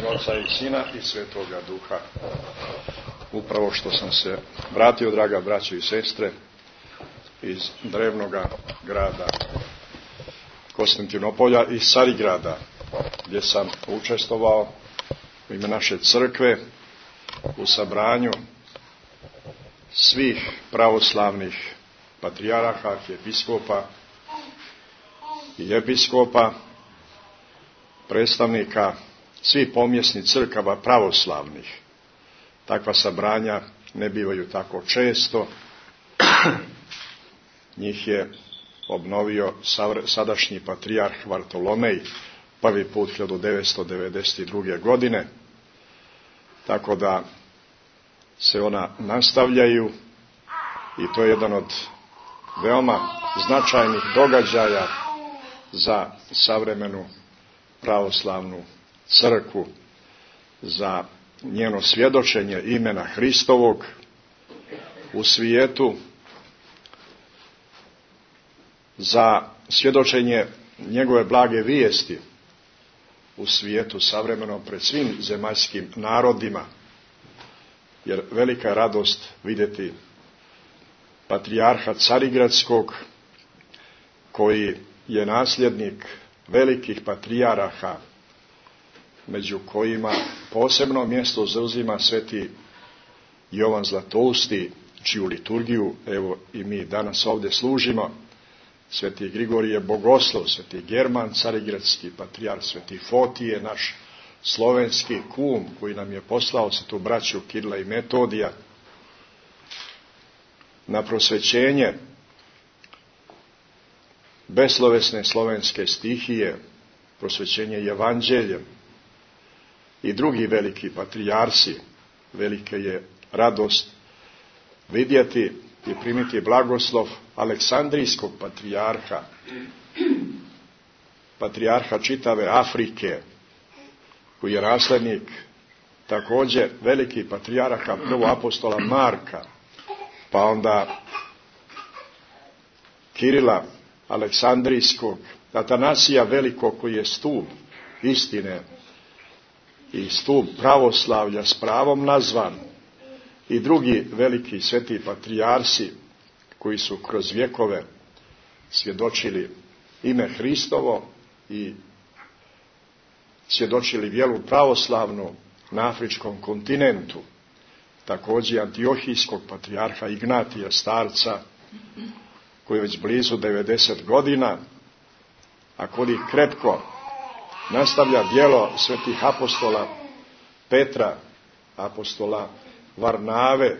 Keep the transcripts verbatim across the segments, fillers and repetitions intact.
Oca i Sina i Svetoga Duha. Upravo što sam se vratio, draga braćo i sestre, iz drevnoga grada Konstantinopolja, iz Carigrada, gdje sam učestvovao u ime naše crkve u sabranju svih pravoslavnih patrijaraha, episkopa i episkopa, predstavnika svih pomjesnih crkava pravoslavnih. Takva sabranja ne bivaju tako često. Njih je obnovio sadašnji patrijarh Vartolomej prvi put hiljadu devetsto devedeset druge. godine. Tako da se ona nastavljaju i to je jedan od veoma značajnih događaja za savremenu pravoslavnu crkvu, za njeno svjedočenje imena Hristovog u svijetu, za svjedočenje njegove blage vijesti u svijetu savremenom pred svim zemaljskim narodima, jer velika je radost vidjeti patrijarha Carigradskog, koji je nasljednik velikih patrijaraha, među kojima posebno mjesto zauzima sveti Jovan Zlatousti, čiju liturgiju evo i mi danas ovdje služimo, sveti Grigorije Bogoslov, sveti German Carigradski patrijarh, sveti Fotije, naš slovenski kum koji nam je poslao svetu braću Kirila i Metodija na prosvećenje beslovesne slovenske stihije, prosvećenje evanđeljem, i drugi veliki patrijarsi. Velika je radost vidjeti i primiti blagoslov Aleksandrijskog patrijarha, patrijarha čitave Afrike, koji je naslednik također velikih patrijarha, prvo apostola Marka, pa onda Kirila Aleksandrijskog, Atanasija Velikog, koji je stup istine i stup pravoslavlja s pravom nazvan, i drugi veliki sveti patrijarsi koji su kroz vjekove svjedočili ime Hristovo i svjedočili vjeru pravoslavnu na afričkom kontinentu. Također Antiohijskog patrijarha Ignatija starca, koji je već blizu devedeset godina, a koji krepko nastavlja djelo svetih apostola Petra, apostola Varnave,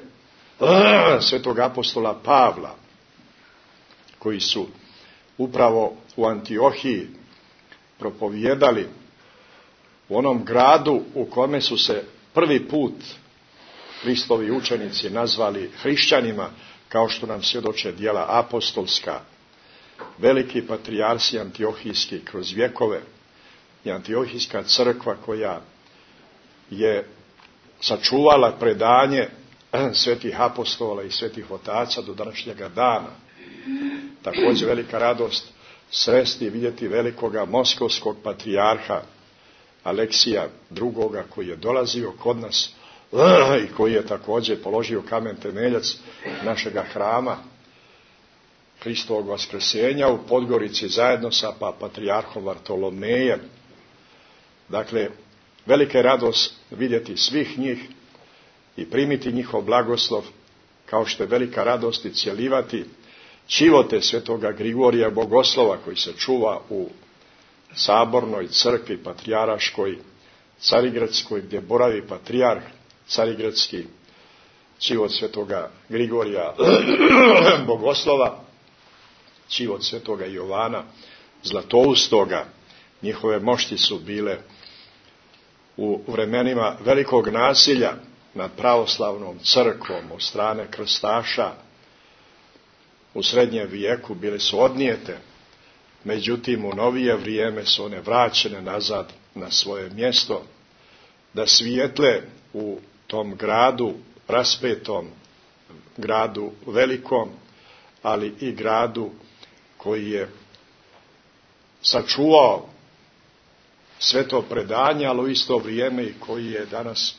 svetog apostola Pavla, koji su upravo u Antiohiji propovijedali, u onom gradu u kome su se prvi put Hristovi učenici nazvali hrišćanima, kao što nam svjedoče djela apostolska. Veliki patrijarsi antiohijski kroz vjekove i Antiohijska crkva, koja je sačuvala predanje svetih apostola i svetih otaca do današnjega dana. Također velika radost sresti i vidjeti velikoga moskovskog patrijarha Aleksija drugoga, koji je dolazio kod nas i koji je također položio kamen temeljac našega hrama Hristovog vaskrsenja u Podgorici zajedno sa pa patrijarhom Vartolomejem. Dakle, velika je radost vidjeti svih njih i primiti njihov blagoslov, kao što je velika radost i cjelivati čivote svetoga Grigorija Bogoslova, koji se čuva u sabornoj crkvi patrijaraškoj Carigradskoj, gdje boravi patrijarh Carigradski, čivot svetoga Grigorija Bogoslova, čivot svetoga Jovana Zlatoustoga. Njihove mošti su bile u vremenima velikog nasilja nad pravoslavnom crkvom od strane krstaša u srednjem vijeku, bile su odnijete, međutim u novije vrijeme su one vraćene nazad na svoje mjesto, da svijetle u tom gradu raspetom, gradu velikom, ali i gradu koji je sačuvao sveto predanje, ali u isto vrijeme i koji je danas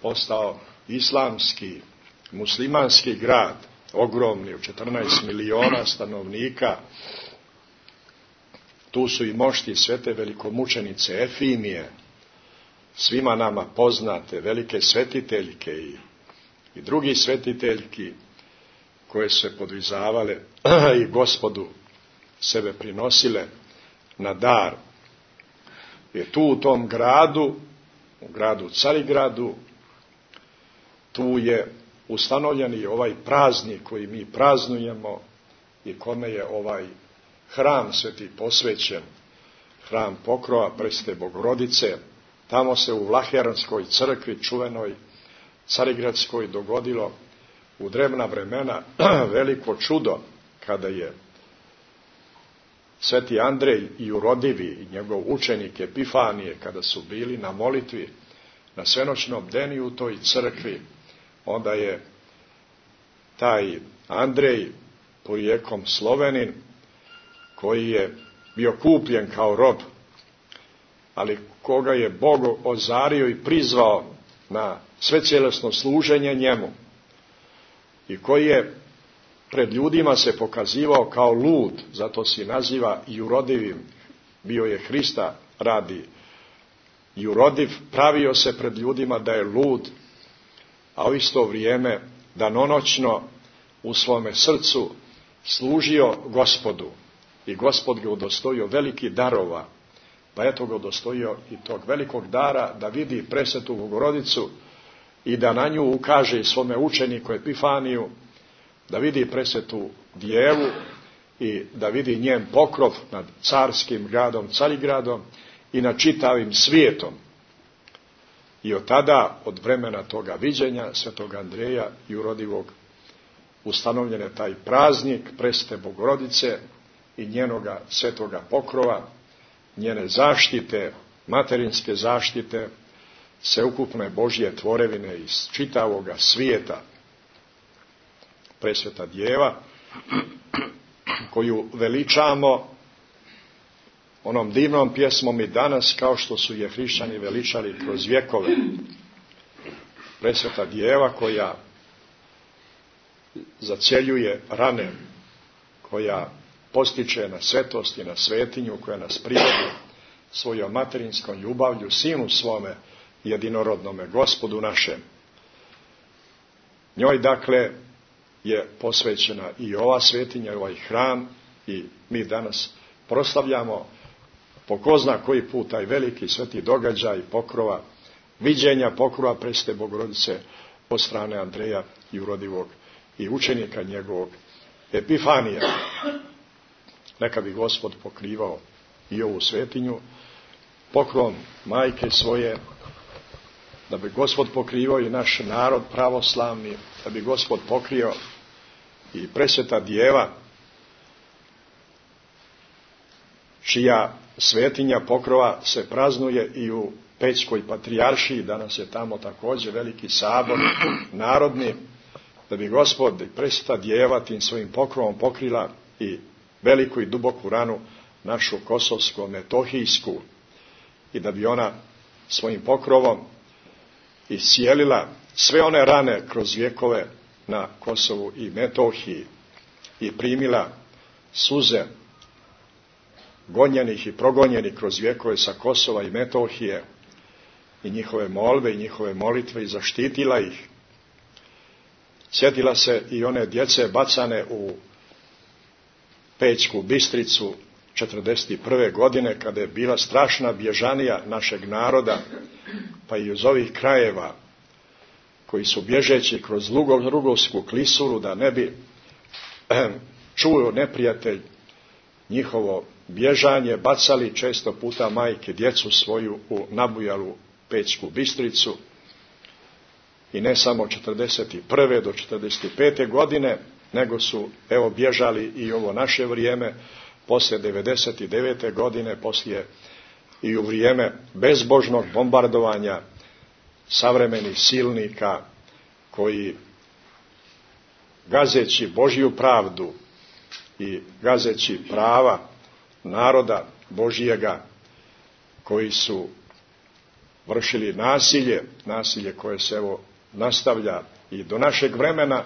postao islamski, muslimanski grad, ogromni, u četrnaest miliona stanovnika. Tu su i mošti svete velikomučenice Efimije, svima nama poznate, velike svetiteljke i, i drugi svetiteljki koje su se podvizavale i Gospodu sebe prinosile na dar. Je tu u tom gradu, u gradu Carigradu, tu je ustanovljen i ovaj praznik koji mi praznujemo i kome je ovaj hram sveti posvećen, hram Pokrova Presvete Bogorodice. Tamo se u Vlaheranskoj crkvi, čuvenoj Carigradskoj, dogodilo u drevna vremena veliko čudo, kada je sveti Andrej i Urodivi i njegov učenik Epifanije, kada su bili na molitvi na svenoćnom bdenju u toj crkvi, onda je taj Andrej, porijeklom Slovenin, koji je bio kupljen kao rob, ali koga je Bog ozario i prizvao na svecijelesno služenje njemu, i koji je pred ljudima se pokazivao kao lud, zato se naziva i Urodivim, bio je Hrista radi i urodiv, pravio se pred ljudima da je lud, a u isto vrijeme danonoćno u svome srcu služio Gospodu, i Gospod ga udostojio veliki darova, pa eto ga udostojio i tog velikog dara da vidi presvetu Bogorodicu i da na nju ukaže svome učeniku Epifaniju, da vidi presvetu djevu i da vidi njen pokrov nad carskim gradom Carigradom i nad čitavim svijetom. I od tada, od vremena toga viđenja svetog Andreja i Urodivog, ustanovljen je taj praznik presvete Bogorodice i njenoga svetoga pokrova, njene zaštite, materinske zaštite, sveukupne Božje tvorevine iz čitavoga svijeta. Presveta djeva, koju veličamo onom divnom pjesmom i danas, kao što su je hrišćani veličali kroz vjekove. Presveta djeva koja zacjeljuje rane, koja postiče na svetost i na svetinju, koja nas privodi svojom materinskom ljubavlju sinu svome, jedinorodnome Gospodu našem. Njoj dakle je posvećena i ova svetinja, i ovaj hram, i mi danas proslavljamo po ko zna koji put taj veliki sveti događaj pokrova, viđenja pokrova presvete Bogorodice od strane Andreja i Urodivog i učenika njegovog Epifanija. Neka bi Gospod pokrivao i ovu svetinju pokrovom majke svoje, da bi Gospod pokrivao i naš narod pravoslavni, da bi Gospod pokrio i presveta djeva, čija svetinja pokrova se praznuje i u Pećkoj patrijaršiji. Danas je tamo također veliki sabor narodni, da bi Gospod i presveta djeva tim svojim pokrovom pokrila i veliku i duboku ranu našu kosovsko-metohijsku, i da bi ona svojim pokrovom iscijelila sve one rane kroz vjekove na Kosovu i Metohiji i primila suze gonjenih i progonjenih kroz vjekove sa Kosova i Metohije i njihove molbe i njihove molitve i zaštitila ih. Sjetila se i one djece bacane u Pećku Bistricu četrdeset prve godine, kada je bila strašna bježanija našeg naroda, pa i iz ovih krajeva, koji su bježeći kroz Rugovsku klisuru, da ne bi čuo neprijatelj njihovo bježanje, bacali često puta majke djecu svoju u nabujalu Pećku Bistricu. I ne samo četrdeset prve do četrdeset pete godine, nego su, evo, bježali i ovo naše vrijeme, poslije devedeset devete godine, poslije i u vrijeme bezbožnog bombardovanja savremenih silnika, koji, gazeći Božju pravdu i gazeći prava naroda Božijega, koji su vršili nasilje, nasilje koje se evo nastavlja i do našeg vremena,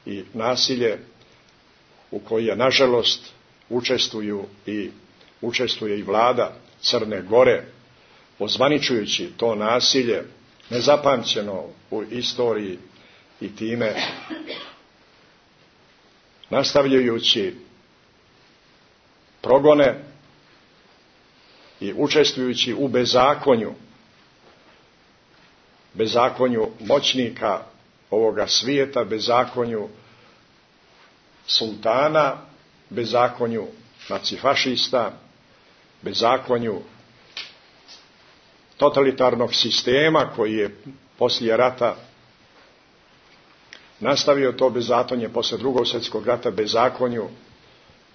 i nasilje u koje nažalost učestvuju i učestvuje i vlada Crne Gore, ozvaničujući to nasilje nezapamćeno u istoriji i time nastavljajući progone i učestvujući u bezakonju, bezakonju moćnika ovoga svijeta, bezakonju sultana, bezakonju nacifašista, bezakonju totalitarnog sistema koji je poslije rata nastavio to bezakonje, poslije Drugog svjetskog rata bezakonju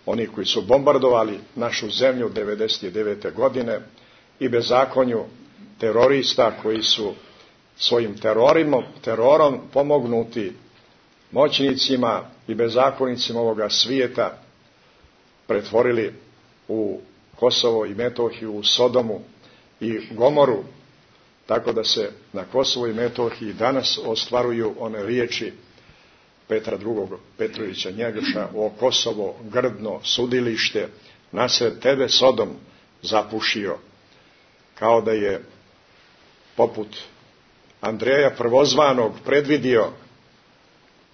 oni koji su bombardovali našu zemlju devedeset devete godine i bezakonju terorista koji su svojim terorom, terorom pomognuti moćnicima i bezakonicima ovoga svijeta pretvorili u Kosovo i Metohiju, u Sodomu i Gomoru, tako da se na Kosovo i Metohiji danas ostvaruju one riječi Petra drugog Petrovića Njegoša: o Kosovo, grdno sudilište, nasred tebe Sodom zapušio. Kao da je poput Andreja Prvozvanog predvidio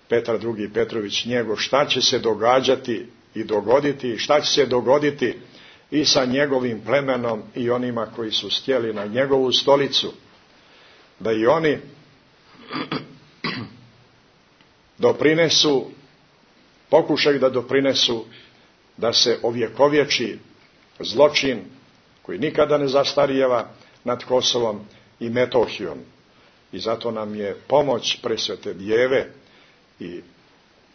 Petar drugi Petrović Njegoš šta će se događati i dogoditi, šta će se dogoditi i sa njegovim plemenom i onima koji su stjeli na njegovu stolicu, da i oni doprinesu, pokušaju da doprinesu da se ovjekovječi zločin koji nikada ne zastarijeva nad Kosovom i Metohijom. I zato nam je pomoć Presvete Djeve i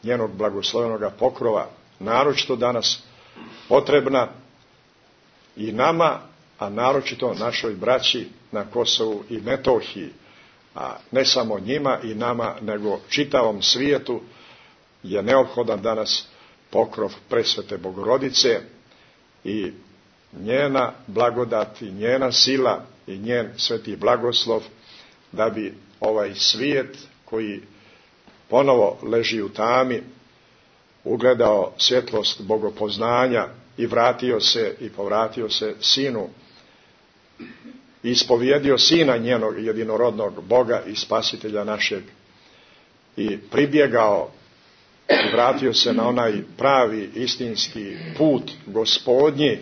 njenog blagoslovenoga pokrova naročito danas potrebna i nama, a naročito našoj braći na Kosovu i Metohiji, a ne samo njima i nama, nego čitavom svijetu je neophodan danas pokrov Presvete Bogorodice i njena blagodat i njena sila i njen sveti blagoslov, da bi ovaj svijet koji ponovo leži u tami ugledao svjetlost bogopoznanja i vratio se i povratio se sinu, ispovjedio sina njenog jedinorodnog Boga i spasitelja našeg i pribjegao i vratio se na onaj pravi istinski put Gospodnji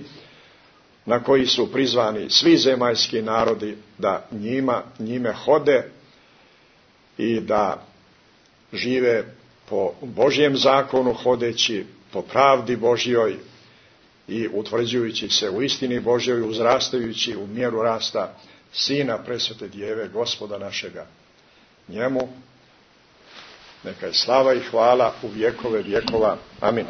na koji su prizvani svi zemaljski narodi da njima, njime hode i da žive po Božjem zakonu, hodeći po pravdi Božjoj i utvrđujući se u istini Božjoj, uzrastajući u mjeru rasta Sina Presvete Djeve, Gospoda našega. Njemu neka je slava i hvala u vjekove vjekova. Amin.